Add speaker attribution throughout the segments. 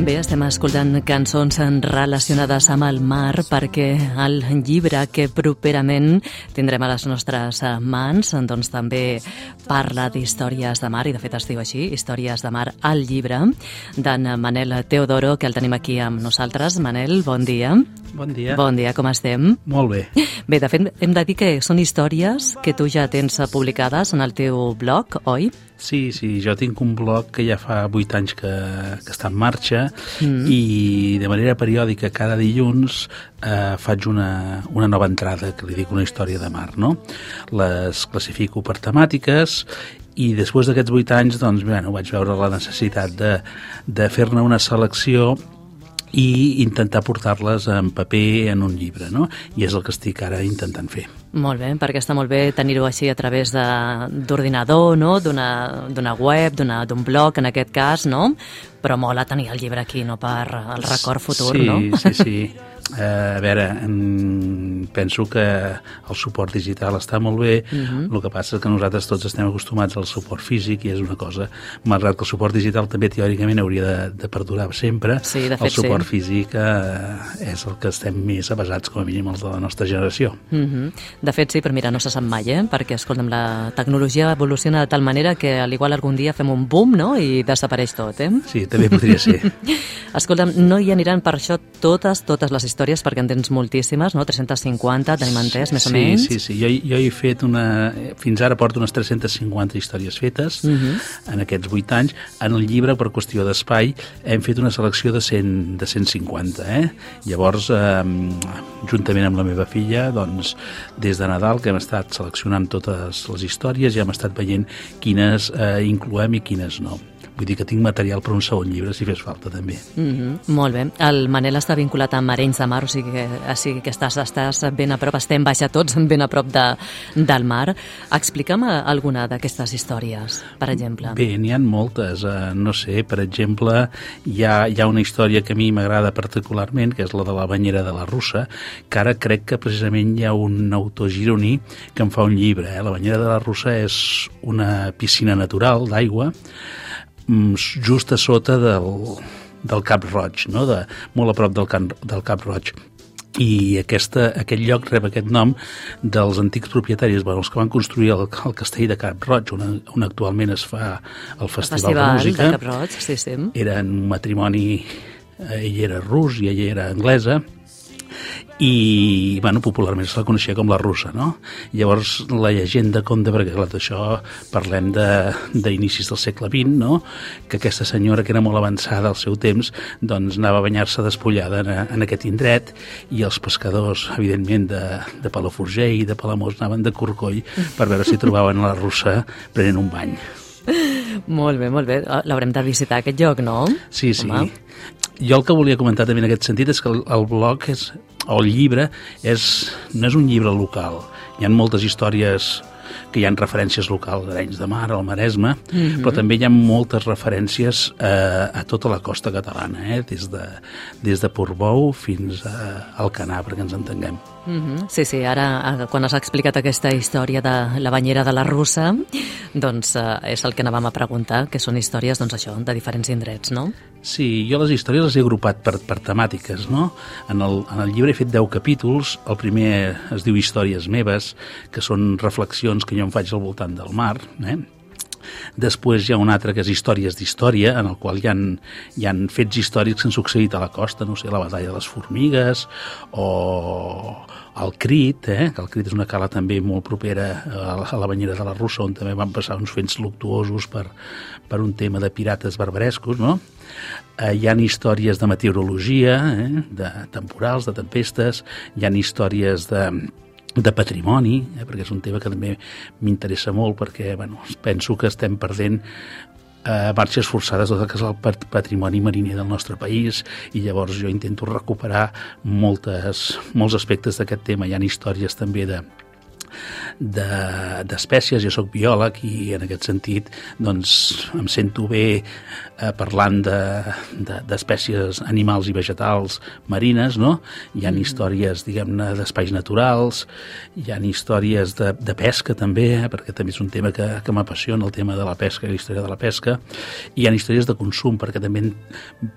Speaker 1: Bé, estem escoltant cançons relacionades amb el mar perquè el llibre que properament tindrem a les nostres mans doncs també parla d'històries de mar i de fet es diu així, Històries de mar, el llibre d'en Manel Teodoro, que el tenim aquí amb nosaltres. Manel, bon dia.
Speaker 2: Bon dia.
Speaker 1: Bon dia, com estem?
Speaker 2: Molt bé.
Speaker 1: Bé, de fet, hem de dir que són històries que tu ja tens publicades en el teu blog, oi?
Speaker 2: Sí, jo tinc un blog que ja fa 8 anys que està en marxa i de manera periòdica cada dilluns faig una nova entrada que li dic una història de mar, no? Les classifico per temàtiques i després d'aquests 8 anys doncs, vaig veure la necessitat de fer-ne una selecció i intentar portar-les en paper en un llibre, no? I és el que estic ara intentant fer.
Speaker 1: Molt bé, perquè està molt bé tenir-ho així a través d'ordinador, no? D'una web, d'un blog, en aquest cas, no? Però mola tenir el llibre aquí, no? Per el record futur, no?
Speaker 2: Sí. A veure, penso que el suport digital està molt bé, el que passa és que nosaltres tots estem acostumats al suport físic i és una cosa, malgrat que el suport digital també teòricament hauria de perdurar sempre,
Speaker 1: sí, de fet,
Speaker 2: el suport físic és el que estem més avasats, com a mínim els de la nostra generació.
Speaker 1: De fet, sí, però mira, no se sap mai, perquè, escolta'm, la tecnologia evoluciona de tal manera que al igual algun dia fem un boom, no?, i desapareix tot,
Speaker 2: Sí, també podria ser.
Speaker 1: Escolta'm, no hi aniran per això totes les històries, perquè en tens moltíssimes, no?, 350, tenim entès, més o menys?
Speaker 2: Sí, jo he fet fins ara porto unes 350 històries fetes en aquests 8 anys. En el llibre, per qüestió d'espai, hem fet una selecció de 150, Llavors, juntament amb la meva filla, doncs, des de Nadal, que hem estat seleccionant totes les històries i hem estat veient quines incloem i quines no. Vull dir que tinc material per un segon llibre, si fes falta, també.
Speaker 1: Molt bé. El Manel està vinculat amb Arenys de Mar, o sigui que estàs ben a prop, estem baixa tots ben a prop del mar. Explica'm alguna d'aquestes històries, per exemple.
Speaker 2: Bé, n'hi ha moltes. No sé, per exemple, hi ha una història que a mi m'agrada particularment, que és la de la banyera de la Russa, que ara crec que precisament hi ha un autor gironí que en fa un llibre. La banyera de la Russa és una piscina natural d'aigua just a sota del Cap Roig, no? Molt a prop del Cap Roig. I aquest lloc rep aquest nom dels antics propietaris, els que van construir el castell de Cap Roig, on actualment es fa el Festival de Música.
Speaker 1: De Cap Roig, sí.
Speaker 2: Eren un matrimoni, ell era rus i ella era anglesa, i popularment se la coneixia com la Russa, no? Llavors la llegenda conta, perquè clar, d'això parlem d'inicis del segle XX, no? Que aquesta senyora, que era molt avançada al seu temps, doncs anava a banyar-se despullada en aquest indret, i els pescadors, evidentment, de Palafrugell i de Palamós anaven de corcoll per veure si trobaven la Russa prenent un bany.
Speaker 1: Molt bé. L'haurem de visitar, aquest lloc, no?
Speaker 2: Sí. Home. Jo el que volia comentar també en aquest sentit és que el blog o el llibre no és un llibre local. Hi ha moltes històries que hi ha referències locals d'Arenys de Mar, al Maresme, però també hi ha moltes referències a tota la costa catalana, des de Portbou fins a Alcanar, perquè ens entenguem.
Speaker 1: Sí, ara quan has explicat aquesta història de la banyera de la Russa, doncs és el que anàvem a preguntar, que són històries, doncs això, de diferents indrets, no?
Speaker 2: Sí, jo les històries les he agrupat per temàtiques, no? En el llibre he fet 10 capítols, el primer es diu Històries meves, que són reflexions que jo em faig al voltant del mar, Després hi ha un altre que és Històries d'història, en el qual hi ha fets històrics que han succeït a la costa, no sé, la batalla de les formigues o el Crit, que el Crit és una cala també molt propera a la banyera de la Russa, on també van passar uns fets luctuosos per un tema de pirates barbarescos, no? Hi ha històries de meteorologia, de temporals, de tempestes, hi ha històries de patrimoni, perquè és un tema que també m'interessa molt, perquè penso que estem perdent marxes forçades tot el que és el patrimoni mariner del nostre país, i llavors jo intento recuperar molts aspectes d'aquest tema. Hi ha històries també d'espècies, jo soc biòleg i en aquest sentit doncs, em sento bé parlant d'espècies animals i vegetals marines, no? Hi ha històries, diguem-ne, d'espais naturals, hi ha històries de pesca també, perquè també és un tema que m'apassiona, el tema de la pesca i la història de la pesca, i hi ha històries de consum, perquè també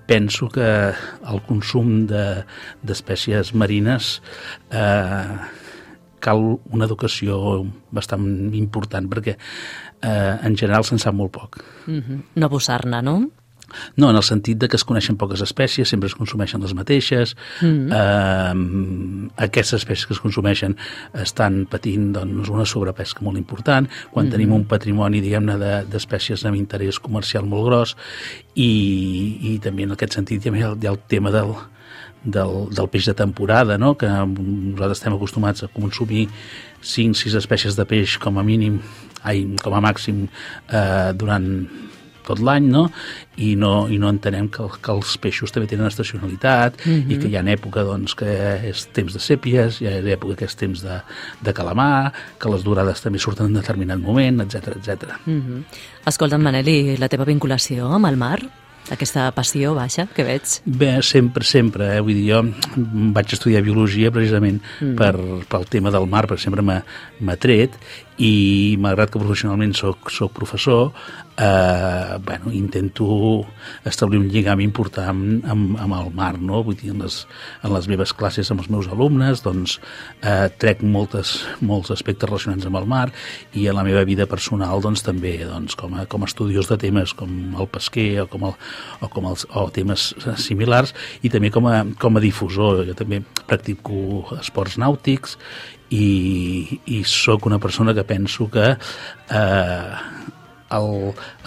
Speaker 2: penso que el consum d'espècies marines cal una educació bastant important, perquè en general se'n sap molt poc.
Speaker 1: No abusar-ne, no?
Speaker 2: No, en el sentit de que es coneixen poques espècies, sempre es consumeixen les mateixes, aquestes espècies que es consumeixen estan patint doncs, una sobrepesca molt important, quan tenim un patrimoni, diguem-ne, d'espècies amb interès comercial molt gros, i també en aquest sentit hi ha el tema del peix de temporada, no? Que nosaltres estem acostumats a consumir 5-6 espècies de peix com a màxim durant tot l'any, no? I no entenem que els peixos també tenen estacionalitat i que hi ha època doncs, que és temps de sèpies, hi ha època que és temps de calamar, que les durades també surten en determinat moment, etc etc.
Speaker 1: Escolta'm, Manel, i la teva vinculació amb el mar? Aquesta passió baixa que veig?
Speaker 2: Bé, sempre. Vull dir, jo vaig estudiar biologia precisament pel tema del mar, perquè sempre m'ha tret, i malgrat que professionalment soc professor, intento establir un lligam important amb el mar, no? Vull dir, en les meves classes amb els meus alumnes, doncs trec molts aspectes relacionats amb el mar, i en la meva vida personal doncs també doncs, com a estudiós de temes com el pesquer o temes similars, i també com a difusor. Jo també practico esports nàutics i sóc una persona que penso que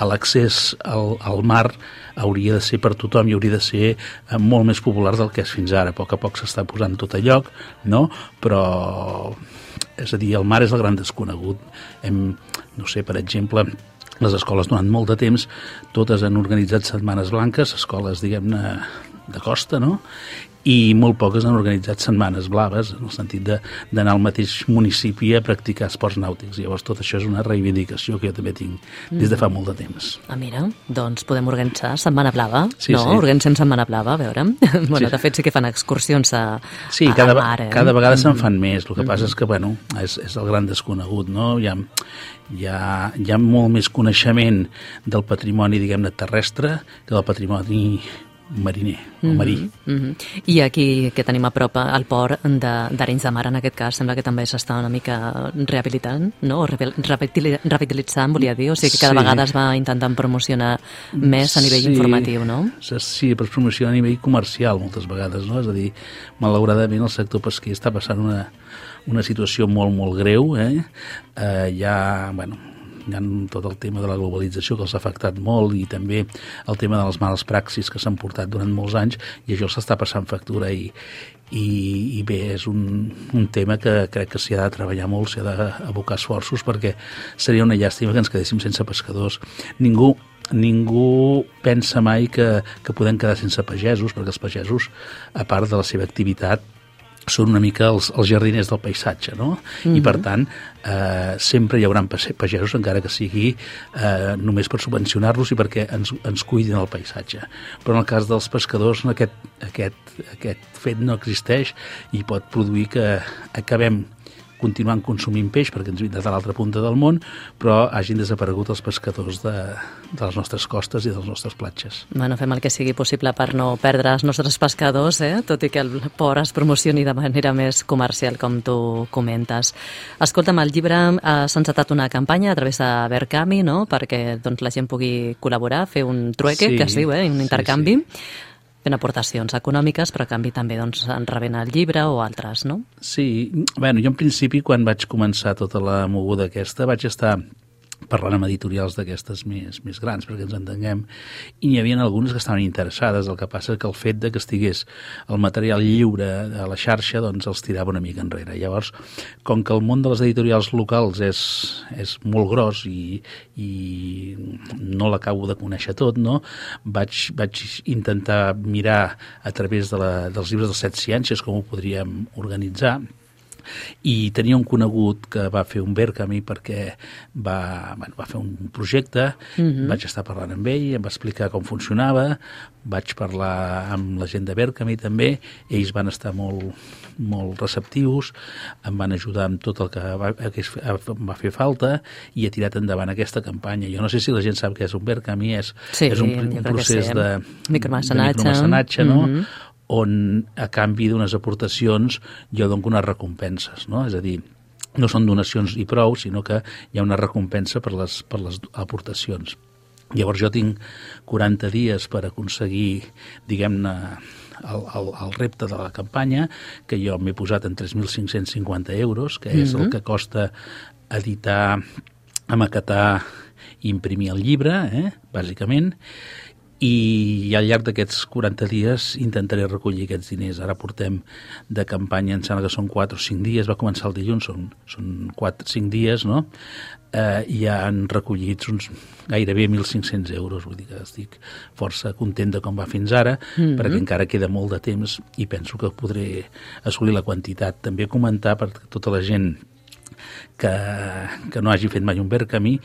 Speaker 2: l'accés al mar hauria de ser per tothom i hauria de ser molt més popular del que és fins ara. A poc s'està posant tot a lloc, no? Però, és a dir, el mar és el gran desconegut. No sé, per exemple, les escoles durant molt de temps totes han organitzat setmanes blanques, escoles, diguem-ne, de costa, no? I molt poques han organitzat setmanes blaves, en el sentit d'anar al mateix municipi a practicar esports nàutics. Llavors, tot això és una reivindicació que jo també tinc des de fa molt de temps.
Speaker 1: Mira, doncs podem organitzar Setmana Blava,
Speaker 2: sí,
Speaker 1: no?
Speaker 2: Sí.
Speaker 1: Organitzem Setmana Blava, a veure. Bueno, de fet sí que fan excursions a mar.
Speaker 2: Cada vegada se'n fan més. El que passa és que, bueno, és el gran desconegut, no? Hi ha molt més coneixement del patrimoni, diguem-ne, terrestre que del patrimoni mariner o marí.
Speaker 1: I aquí que tenim a prop el port d'Arenys de Mar, en aquest cas, sembla que també s'està una mica rehabilitant, no? O revitalitzant, volia dir, o sigui que cada vegada es va intentant promocionar més a nivell informatiu, no?
Speaker 2: Sí, però es promociona a nivell comercial moltes vegades, no? És a dir, malauradament el sector pesquer està passant una situació molt, molt greu, hi ha tot el tema de la globalització que els ha afectat molt, i també el tema de les males praxis que s'han portat durant molts anys, i això s'està passant factura, i bé, és un tema que crec que s'hi ha de treballar molt, s'hi ha d'abocar esforços, perquè seria una llàstima que ens quedéssim sense pescadors. Ningú pensa mai que podem quedar sense pagesos, perquè els pagesos, a part de la seva activitat, són una mica els jardiners del paisatge, no? I per tant, sempre hi haurà pagesos, encara que sigui només per subvencionar-los i perquè ens cuidin el paisatge. Però en el cas dels pescadors aquest fet no existeix, i pot produir que acabem continuant consumint peix perquè ens vindrà de l'altra punta del món, però hagin desaparegut els pescadors de les nostres costes i de les nostres platges.
Speaker 1: Bueno, fem el que sigui possible per no perdre els nostres pescadors, tot i que el port es promocioni de manera més comercial, com tu comentes. Escolta'm, el llibre s'ha encetat una campanya a través de Verkami, no?, perquè doncs, la gent pugui col·laborar, fer un trueque, que es diu, un intercanvi. Sí. Fent aportacions econòmiques, però a canvi també doncs, en rebent el llibre o altres, no?
Speaker 2: Sí, bueno, jo en principi, quan vaig començar tota la moguda aquesta, vaig estar parlant amb editorials d'aquestes més grans, perquè ens entenguem, i n'hi havia algunes que estaven interessades. El que passa és que el fet de que estigués el material lliure a la xarxa doncs els tirava una mica enrere. Llavors, com que el món de les editorials locals és molt gros i no l'acabo de conèixer tot, no? Vaig intentar mirar a través dels llibres de les 7 ciències com ho podríem organitzar, I tenia un conegut que va fer un Verkami perquè va fer un projecte, vaig estar parlant amb ell, em va explicar com funcionava, vaig parlar amb la gent de Verkami també, ells van estar molt receptius, em van ajudar amb tot el que va fer falta i he tirat endavant aquesta campanya. Jo no sé si la gent sap què és un Verkami, és un procés de micromecenatge, no? On a canvi d'unes aportacions jo dono unes recompenses, no? És a dir, no són donacions i prou, sinó que hi ha una recompensa per les aportacions. Llavors jo tinc 40 dies per aconseguir, diguem-ne, el repte de la campanya, que jo m'he posat en 3.550 euros, que és el que costa editar, maquetar i imprimir el llibre, bàsicament, i al llarg d'aquests 40 dies intentaré recollir aquests diners. Ara portem de campanya, em sembla que són 4 o 5 dies, va començar el dilluns, són 4 o 5 dies, no? I ja han recollit uns gairebé 1.500 euros, vull dir que estic força content de com va fins ara, perquè encara queda molt de temps i penso que podré assolir la quantitat. També comentar per tota la gent que no hagi fet mai un Verkami,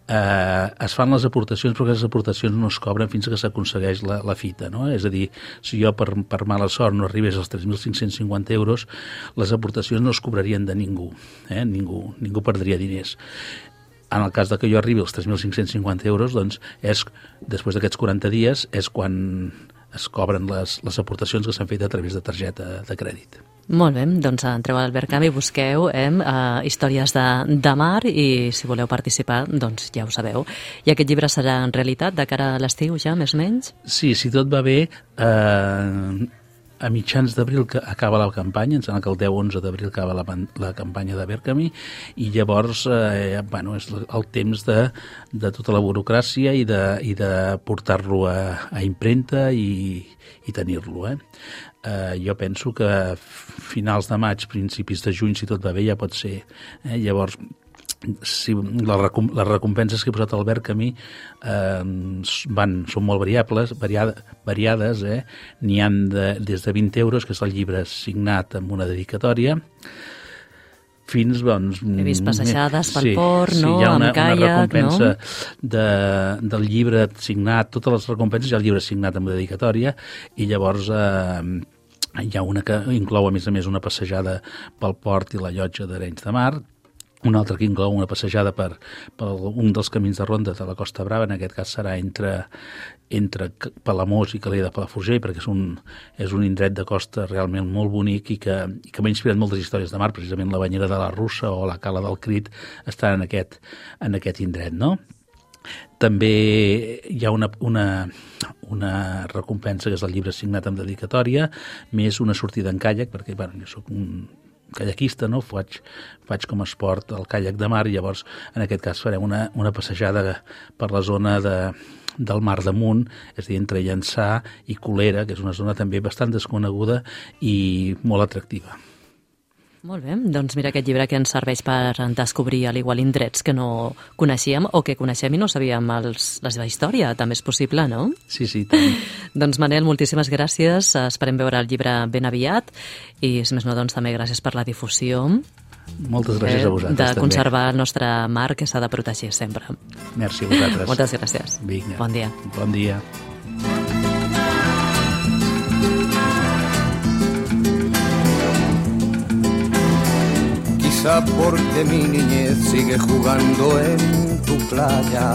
Speaker 2: es fan les aportacions, però aquestes aportacions no es cobren fins que s'aconsegueix la fita, no? És a dir, si jo per mala sort no arribés als 3.550 euros, les aportacions no es cobrarien de ningú, ningú perdria diners. En el cas que jo arribi als 3.550 euros, doncs, després d'aquests 40 dies, és quan es cobren les aportacions que s'han fet a través de targeta de crèdit.
Speaker 1: Molt bé, doncs entreu al Verkami, busqueu històries de mar i si voleu participar, doncs ja ho sabeu. I aquest llibre serà en realitat de cara a l'estiu ja, més o menys?
Speaker 2: Sí, si tot va bé, a mitjans d'abril acaba la campanya, em sembla que el 10-11 d'abril acaba la campanya de Verkami i llavors és el temps de tota la burocràcia i de portar-lo a impremta i tenir-lo. Jo penso que finals de maig, principis de juny, si tot va bé, ja pot ser. Llavors, si les recompenses que he posat al Verkami són molt variades, n'hi ha des de 20 euros, que és el llibre signat amb una dedicatòria, fins, doncs...
Speaker 1: He vist passejades pel port, no?
Speaker 2: Sí, hi ha una
Speaker 1: caiac,
Speaker 2: recompensa del llibre signat, totes les recompenses, hi ha el llibre signat amb dedicatòria, i llavors hi ha una que inclou, a més, una passejada pel port i la llotja d'Arenys de Mar, una altra que inclou una passejada per un dels camins de ronda de la Costa Brava, en aquest cas serà entre Palamós i Calella de Palafrugell, perquè és un indret de costa realment molt bonic i que m'ha inspirat moltes històries de mar, precisament la Banyera de la Russa o la Cala del Crit estan en aquest indret, no? També hi ha una recompensa que és el llibre signat amb dedicatòria, més una sortida en caiac, perquè jo soc un caiaquista, no? Faig com a esport el caiac de mar i llavors en aquest cas farem una passejada per la zona del Mar d'Amunt, és a dir, entre Llançà i Colera, que és una zona també bastant desconeguda i molt atractiva.
Speaker 1: Molt bé, doncs mira aquest llibre que ens serveix per descobrir al igual indrets que no coneixíem o que coneixem i no sabíem la seva història, també és possible, no?
Speaker 2: Sí, també.
Speaker 1: Doncs Manel, moltíssimes gràcies, esperem veure el llibre ben aviat i si més no, doncs també gràcies per la difusió.
Speaker 2: Moltes gràcies a vosaltres també.
Speaker 1: De conservar el nostre mar que s'ha de protegir sempre.
Speaker 2: Merci a vosaltres.
Speaker 1: Moltes gràcies.
Speaker 2: Vinga.
Speaker 1: Bon dia.
Speaker 2: Bon dia.
Speaker 3: Quizá porque mi niñez sigue jugando en tu playa.